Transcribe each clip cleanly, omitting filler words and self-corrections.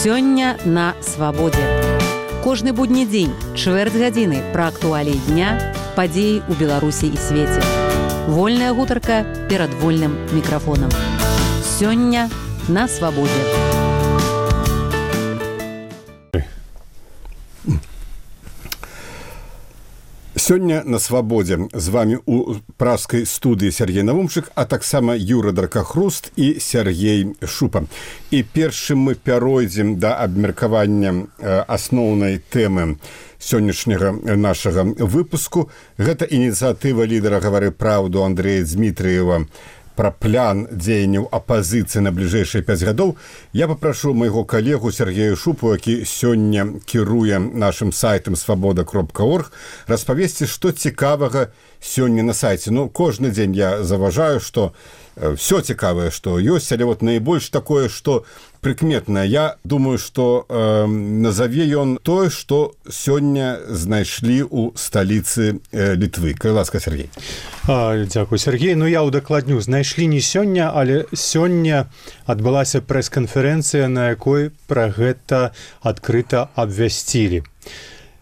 Сёння на свабодзе. Кожны будні дзень, чвэрць гадзіны пра актуаліі дня, падзеі ў Беларусі і свеце. Вольная гутарка перад вольным мікрафонам. Сёння на свабодзе. Сёння на свабодзе з вами у пражскай студыі Сергей Навумчык, а таксама Юра Дракахруст і Сергей Шупа. І першым мы пяройдзем да абмеркавання асноўнай тэмы сённяшняга нашага выпуску. Гэта ініцыятыва лідара «Гавары праўду» Андрэя Дмітрыева пра план дзеянняў апазіцыі на бліжэйшыя 5 гадоў. Я папрашу майго калегу Сергея Шупу, які сёння кіруе нашым сайтам свабода.орг, распавесці, што цікавага сёння на сайце. Кожны дзень я заважаю, што все цікавае, што ёсць, але найбольш такое, што прыкметнае. Я думаю, што назаве ён тое, што сёння знайшлі ў сталіцы Літвы. Калі ласка, Сергей. Дзякуй, Сергей. Я удакладню. Знайшлі не сёння, але сёння адбылася прэс-канферэнцыя, на якой пра гэта адкрыта абвясцілі.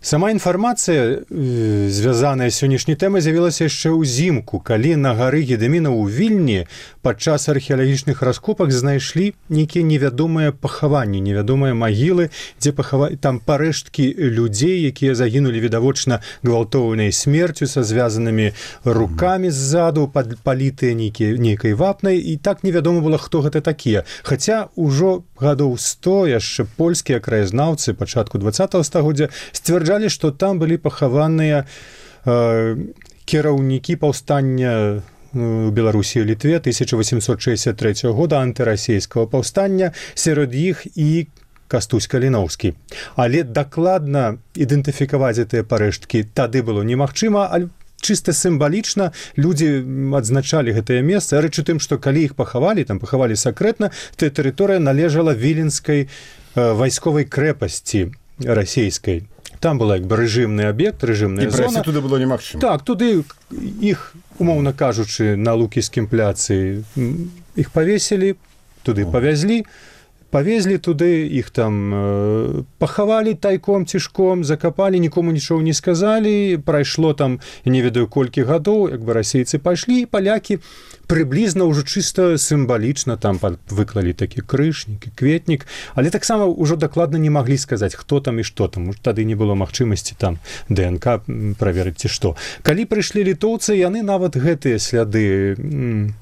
Сама інфармацыя, звязаная з сённяшняй тэмай, з'явілася яшчэ ўзімку, калі на гары Гедэміна ў Вільні падчас археалагічных раскопак знайшлі нейкія невядомыя пахаванні, невядомыя магілы, дзе там парэшткі людзей, якія загінулі відавочна гвалтоўнай смерцю са звязанымі рукамі ззаду, палітыя нейкай вапнай, і так невядома было, хто гэта такія. Хаця ўжо гадоў 100 яшчэ польскія краязнаўцы пачатку 20-го стагоддзя сцвярджалі, што там былі пахаваныя кіраўнікі паўстання у Беларусі і Літве 1863 года, антырасійскага паўстання, сярод іх і Кастусь Каліноўскі. Але дакладна ідэнтыфікаваць гэтыя парэшткі тады было немагчыма, але чыста сімвалічна людзі адзначалі гэтае месца. Рэч у тым, што калі іх пахавалі, там пахавалі сакрэтна, то тэрыторыя належала віленскай вайсковай крэпасці расійскай. Там была рэжымны аб'ект, рэжымная зона. І прайсці туды было немагчыма. Так, туды іх, умоўна кажучы, на Лукійскім пляцы іх павесілі, туды павезлі туды, іх там пахавалі тайком, цішком, закапалі, нікому нічого не сказалі, прайшло там, я не ведаю колькі гадоў, расейцы пайшлі, і палякі прыблізна ўжо чыста сімвалічна там выклалі такі крыж, нейкі кветнік, але таксама ўжо дакладна не маглі сказаць, хто там і што там, тады не было магчымасці там ДНК праверыць ці што. Калі прыйшлі літоўцы, яны нават гэтыя сляды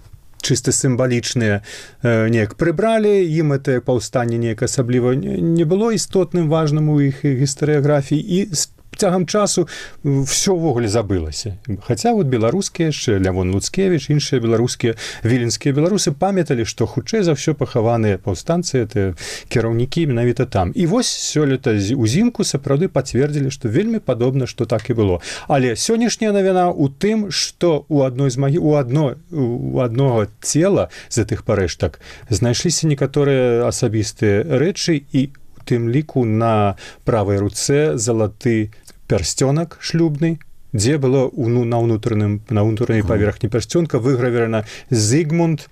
чыста сімвалічныя неяк прыбралі, ім гэтае паўстанне неяк асабліва не было істотным, важным у іх гістарыяграфіі, і цягам часу ўсё ўвогуле забылася. Хаця беларускія яшчэ, Лявон Луцкевіч, іншыя беларускія, віленскія беларусы памяталі, што хутчэй за ўсё пахаваныя паўстанцы, это кіраўнікі менавіта там. І вось сёлета узімку сапраўды пацвердзілі, што вельмі падобна, што так і было. Але сённяшняя навіна ў тым, што у адного цела з гэтых парэштак знайшліся некаторыя асабістыя рэчы, і у тым ліку на правай руцэ залаты пярсцёнак шлюбны, дзе было на ўнутранай паверхні пярсцёнка выгравірана Зігмунд,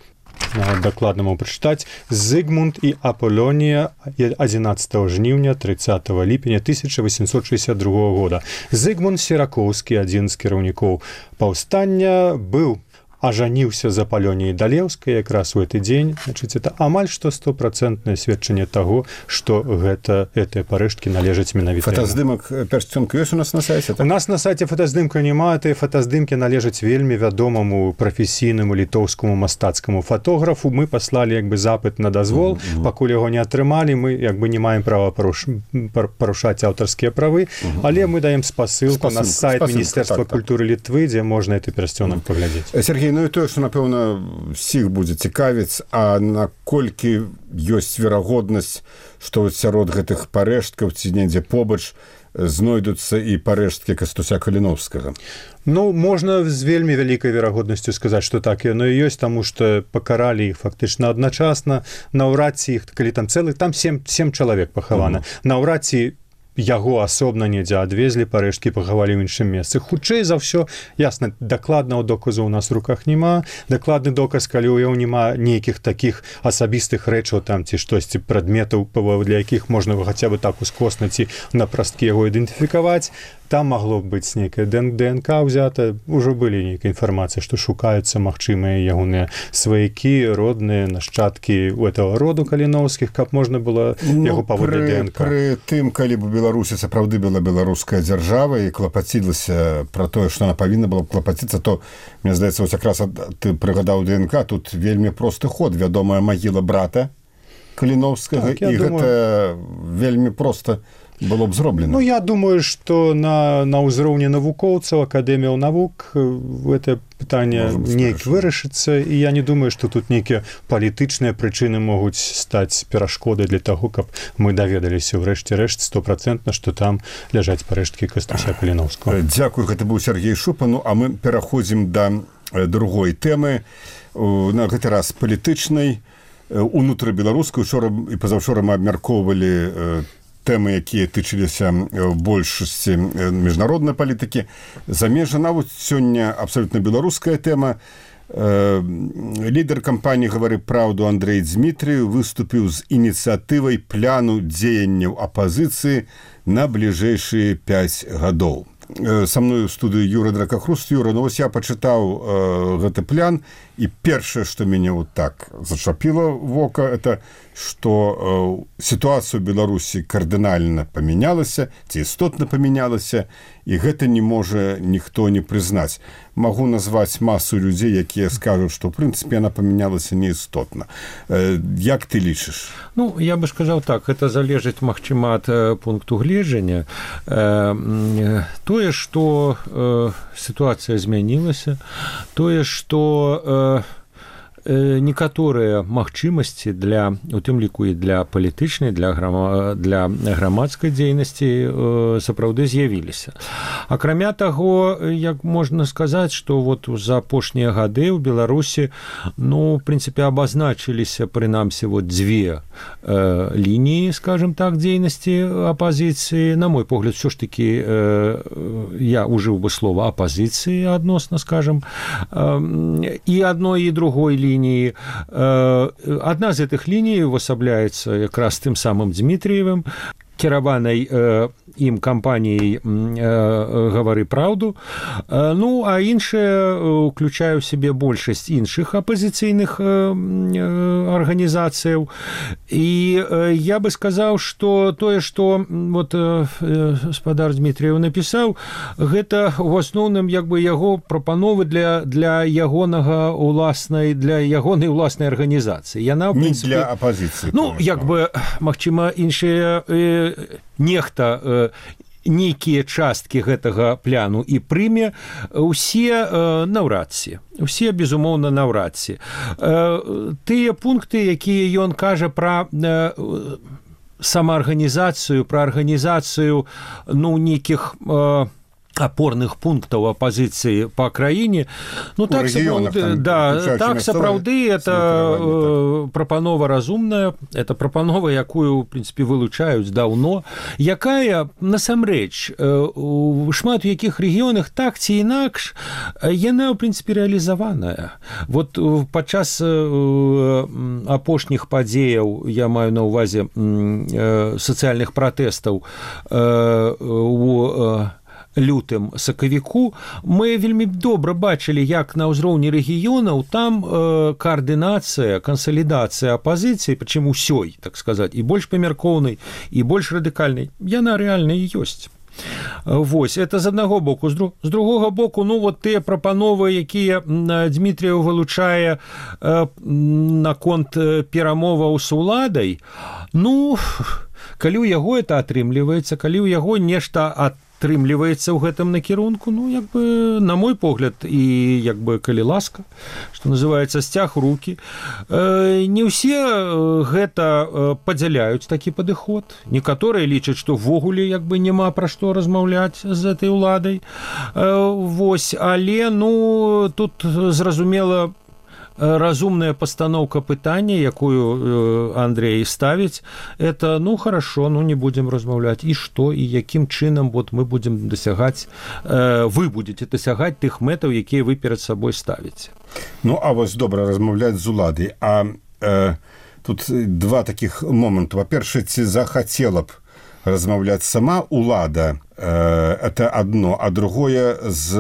дакладна могу прачытаць, Зігмунд і Аполлонія 11 жніўня 30 ліпеня 1862 года. Зігмунд Серакоўскі, адзін з кіраўнікоў паўстання, быў ажаніўся з Аполлоніяй Далеўскай якраз у гэты дзень. Значыць, это амаль што 100% сведчанне таго, што гэтыя парэшткі належаць менавіта. Фотаздымак пярсцёнка ёсць у нас на сайце? У нас на сайце фотаздымка няма, тыя фотаздымкі належаць вельмі вядомаму прафесійнаму літоўскаму мастацкаму фотографу. Мы паслалі запыт на дазвол, пакуль яго не атрымалі, мы не маем права парушаць аўтарскія правы, але мы даем спасылку на сайт Міністэрства культуры Літвы, дзе можна гэты пярсцёнак паглядзець. Сергей, і тое, што, напэўна, всіх будзе цікавіць, а наколькі ёсць верагоднасць, што сярод гэтых парэшткаў ці недзе побач знойдуцца і парэшткі Кастуся Каліноўскага? Можна з вельмі вялікай верагоднасцю сказаць, што так яно і ёсць, таму што пакаралі іх фактычна адначасна. Наўрад ці іх, калі там 7 чалавек пахавана, наўрад ці яго асобна недзе адвезлі парэшткі, пахавалі ў іншым месцы. Хутчэй за ўсё, ясна, дакладнага доказу ў нас у руках няма. Дакладны доказ, калі ў яго няма нейкіх такіх асабістых рэчаў там ці штосьці прадметаў, для якіх можна хаця бы так ускосна ці на прасткі яго ідэнтыфікаваць. Там магло быць нейкая ДНК ўзята, ужо былі нейкая інфармацыя, што шукаюцца магчымыя ягоныя сваякі, родныя, нашчадкі у этого роду каліноўскіх, каб можна было яго паводле ДНК. Пры тым, калі б у Беларусі сапраўды была беларуская дзяржава і клапацілася пра тое, што она павінна была клапаціцца, то, мне здаецца, вось якраз ты прыгадаў ДНК, тут вельмі просты ход, вядомая магіла брата Каліноўскага, і гэта вельмі проста было б зроблена. Ну, я думаю, што на ўзроўні навукоўцаў, акадэміяў навук гэта пытанне нейк вырашыцца, і я не думаю, што тут нейкія палітычныя прычыны могуць стаць перашкодай для таго, каб мы даведаліся ўрэшце рэшт 100%, што там ляжаць парэшткі Кастуся Каліноўскага. Дзякуй, гэта быў Сергей Шупа. Ну, а мы пераходзім да другой тэмы, на гэты раз палітычнай, унутрыбеларускай. Учора і пазаўчора мы абмяркоўвалі тэмы, якія тычыліся большасці міжнароднай палітыкі. Замежжа нават сёння абсалютна беларуская тэма. Лідар кампаніі «Гавары праўду» Андрэй Дзмітрыў выступіў з ініцыятывай пляну дзеянняў апазіцыі на бліжэйшыя 5 гадоў. Са мной у студыі Юра Дракахруст. Юра, ну вось я пачытаў гэты плян, і першае, што мяне вот так зачапіла вока, это што сітуацыя ў Беларусі кардынальна памянялася, ці істотна памянялася, і гэта не можа ніхто не прызнаць. Магу назваць масу людзей, якія скажуць, што ў прынцыпе яна памянялася неістотна. Як ты лічыш? Ну, я бы сказаў так, гэта залежыць, магчыма, ад пункту гледжання. Тое, што сітуацыя змянілася, тое, што некаторыя магчымасці для, у тым ліку і для палітычнай, для грамадскай дзейнасці сапраўды з'явіліся. Акрамя таго, як можна сказаць, што вот за апошнія гады ў Беларусі, ну, в прынцыпе, абазначыліся, прынамсі, вот дзве лініі, скажем так, дзейнасці апазіцыі. На мой погляд, ўсё ж такі я ужыў бы слова апазіцыі адносна, скажем, і адной, і другой лініі. Одна з гэтых ліній увасабляецца якраз тым самым Дзмітрыевым, кіраванай ім кампаніяй «Гавары праўду». Ну, а іншая ўключае ў сябе большасць іншых апазіцыйных арганізацыяў. І я бы сказаў, што тое, што вот гаспадар Дзмітрыеў напісаў, гэта ў асноўным як бы яго прапановы для ягонай уласнай арганізацыі. Яна, в прынцыпе, не для апазіцыі. Ну, як бы, магчыма, іншыя нехта нейкія часткі гэтага пляну і прыме, усе наўрад ці. Усе, безумоўна, наўрад ці. Тыя пункты, якія ён кажа пра самаарганізацыю, пра арганізацыю, ну, нейкіх апорных пунктаў апазіцыі па краіне, ну так сапраўды, да, так сапраўды это прапанова разумная, это прапанова, якую, в прынцыпе, вылучаюць даўно, якая насамрэч у шмат у якіх рэгіёнах так ці інакш яна, в прынцыпе, рэалізаваная. Вот падчас апошніх падзеяў, я маю на ўвазе сацыяльных пратэстаў у лютым сакавіку, мы вельмі добра бачылі, як на ўзроўні рэгіёнаў там каардынацыя, кансалідацыя апазіцыі, прычым усёй, так сказаць, і больш памяркоўнай, і больш радыкальнай, яна рэальна і ёсць. Вось, это з аднаго боку. З другога боку, ну, вот тыя прапановы, якія Дзмітрыеў вылучае наконт перамоваў з уладай, ну, калі ў яго это атрымліваецца, калі ў яго нешта атрымліваецца ў гэтым накірунку, ну, як бы, на мой погляд, і, як бы, калі ласка, што называецца, сцяг рукі. Не ўсе гэта падзяляюць такі падыход. Некаторыя лічаць, што ввогуле, як бы, няма пра што размаўляць з этой уладай. Вось, але, ну, тут, зразумела, разумная пастаноўка пытання, якую Андрей ставіць, это, ну, хорошо, ну, не будем размаўляць. І што, і якім чынам вот мы будем дасягаць, вы будете дасягаць тых мэтаў, якія вы перад сабой ставіце. Ну, а вось добра размаўляць з уладай. А тут два таких моменту. Во-перше, ці захацела б размаўляць сама улада, это одно, а другое з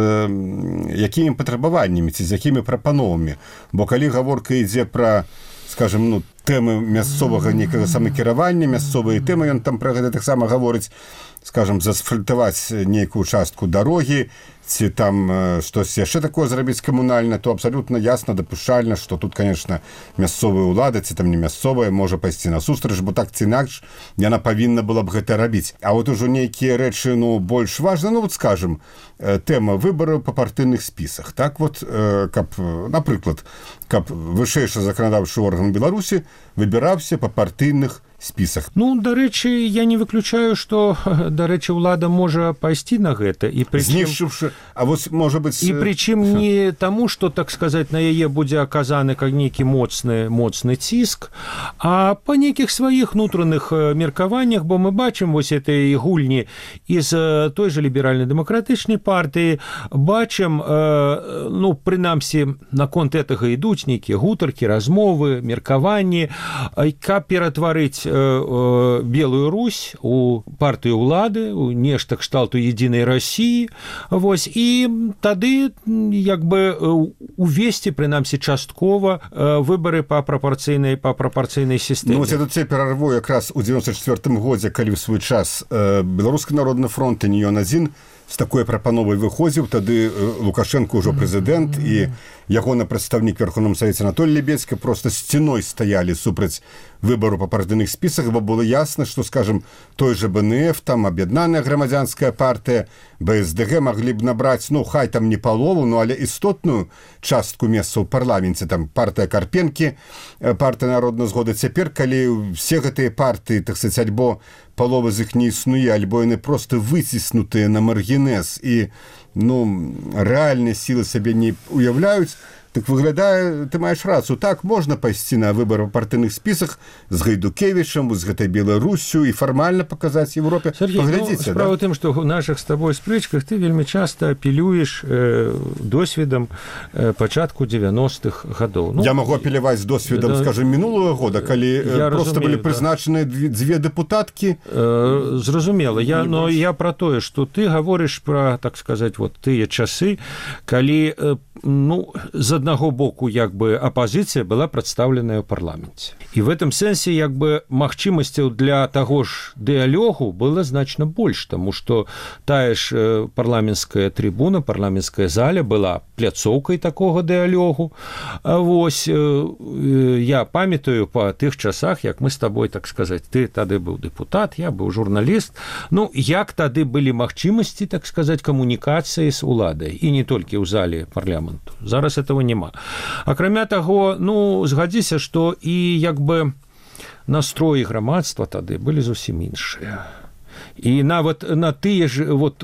якімі патрабаваннямі ці з якімі прапановамі. Бо калі гаворка ідзе пра, скажем, ну, тэмы мясцовага некага самакіравання, мясцовыя тэмы, ён там пра гэта таксама гаворыць, скажем, засфальтаваць нейкую частку дарогі, ці там штось яшчэ такое зрабіць камунальна, то абсалютна ясна, дапушчальна, што тут, конечно, мясцовая ўлада, ці там не мясцовая, можа пайсці насустрач, бо так ці інакш яна павінна была б гэта рабіць. А вот ужо нейкія рэчы, ну, больш важны, ну, вот, скажем, тэма выбараў па партыйных спісах. Так вот, каб, напрыклад, каб вышэйшы заканадаўчы орган Беларусі выбіраўся па партыйных спісах. Ну, дарэчы, я не выключаю, што, дарэчы, ўлада можа пайсці на гэта. І прычым... Знішчыўшы, а вось, можа быць... І прычым не таму, што, так сказаць, на яе будзе аказаны нейкі моцны ціск, а па нейкіх сваіх внутраных меркаваннях, бо мы бачым вось этой гульні з той же ліберальна-дэмакратычнай партыі, бачым, ну, прынамсі, наконт гэтага ідуць нейкія гутаркі, размовы, меркаванні, каб ператварыць Белую Русь у партыю ўлады, у нешта кшталту единой России, вось, і тады як бы увесці, прынамсі, часткова выбары па прапорцыйнай сістэме. Ну, вось я тут цяпер перарву якраз у 94-м годзе, калі ў свой час Беларускі народны фронт, і не ён адзін, з такой прапановай выходзіў, тады Лукашенко ўжо прэзідэнт, і ягоны прадстаўнік Верховным Савеце Анатолий Лебедзькі проста сцяной стаялі супраць выбару па партыйных спісах, бо было ясна, што, скажем, той же БНФ, там аб'яднаная грамадзянская партыя, БСДГ маглі б набраць, ну, хай там не палову, ну, але істотную частку месца ў парламенце, там партыя Карпенкі, партыя народнай згоды. Цяпер, калі все гэтыя партыі, так сказаць, альбо палова з іх не існуе, альбо яны проста выціснутыя на маргінез і, ну, рэальныя сілы сабе не уяўляюць, так выглядае, ты маеш рацыю, так, можна пайсці на выбары ў партыйных спісах з Гайдукевічам, з гэтай Беларусю і фармальна паказаць Европе. Сергей, паглядзіце, ну, справа тым, што ў нашых з табой спрэчках ты вельмі часта апелюеш досведам пачатку 90-х гадоў. Ну, я магу апеляваць з досведам, скажем, минулого года, калі проста былі прызначаныя дзве дэпутаткі. Зразумела. Но я пра тое, што ты гаворыш пра, так сказаць, вот тыя часы, калі, ну, з аднаго боку, як бы, апазіцыя была прадстаўленая ў парламенце. І в этом сэнсе, як бы, магчымасцяў для таго ж дыялогу было значна больш, таму што тая ж парламенцкая трыбуна, парламенцкая заля была пляцоўкай такога дыялогу. Вось, я памятаю па тых часах, як мы з табой, так сказаць, ты тады быў дэпутат, я быў журналіст, ну, як тады былі магчымасці, так сказаць, камунікацыі з уладай, і не толькі ў зале парламенту. Зараз этого няма. Акрамя таго, ну, згадзіся, што і, як бы, настроі грамадства тады былі зусім іншыя. І нават на тыя ж, вот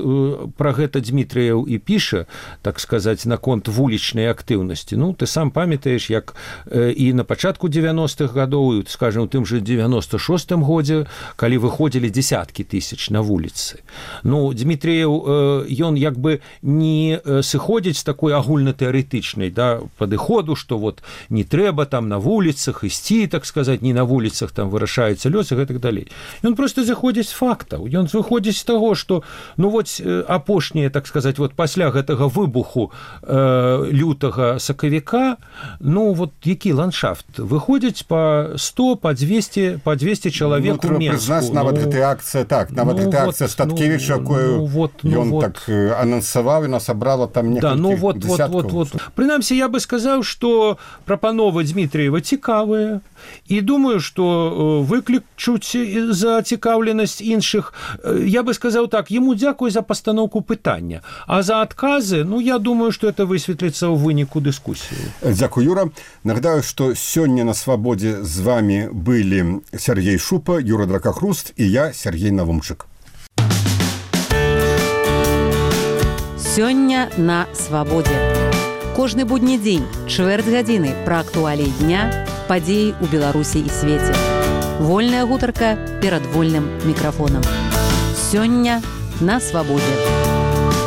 пра гэта Дмітрыеў і піша, так сказаць, наконт вулічнай актыўнасці. Ну, ты сам памятаеш, як і на пачатку 90-х гадоў, скажем, у тым же 96-м годзе, калі выходзілі дзесяткі тысяч на вуліцы. Ну, Дмітрыеў, ён як бы не сыходзіць з такой агульнатэарэтычнай, да, падыходу, што вот не трэба там на вуліцах ісці, так сказаць, не на вуліцах там вырашаюцца лёсы і гэтак далей. Ён проста заходзіць з фактаў. Ён выходзіць з таго, што, ну, вот апошнія, так сказаць, вот пасля гэтага выбуху лютага сакавіка, ну, вот які ландшафт? Выходзіць па 100, па 200 чалавек у Менску. Прызнаць, нават гэтая акцыя, так, нават гэтая акцыя Статкевіча, якую ён так анансаваў, і насабрала там некалькі десяткаў. Прынамсі, я бы сказаў, што прапановы Дмітрыева цікавыя, і думаю, што выклічуць зацікаўленасць іншых. Я бы сказаў так, яму дзякуй за пастаноўку пытання, а за адказы, ну, я думаю, што это высветліцца ў выніку дыскусіі. Дзякуй, Юра. Нагадаю, што сёння на Свабодзе з вами былі Сергей Шупа, Юра Дракахруст і я, Сергей Навумчык. Сёння на Свабодзе. Кожны будні дзень, чвэрць гадзіны пра актуаліі дня, падзеі ў Беларусі і свеце. Вольная гутарка перад вольным мікрафонам. Сёння на свабодзе.